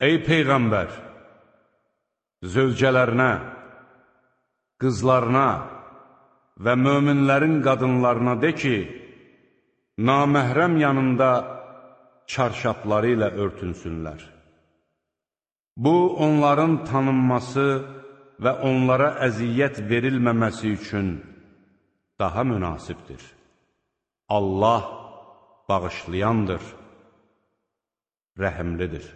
Ey Peyğəmbər, zövcələrinə, qızlarına və möminlərin qadınlarına de ki, naməhrəm yanında çarşafları ilə örtünsünlər. Bu, onların tanınması və onlara əziyyət verilməməsi üçün daha münasibdir. Allah bağışlayandır, rəhimlidir.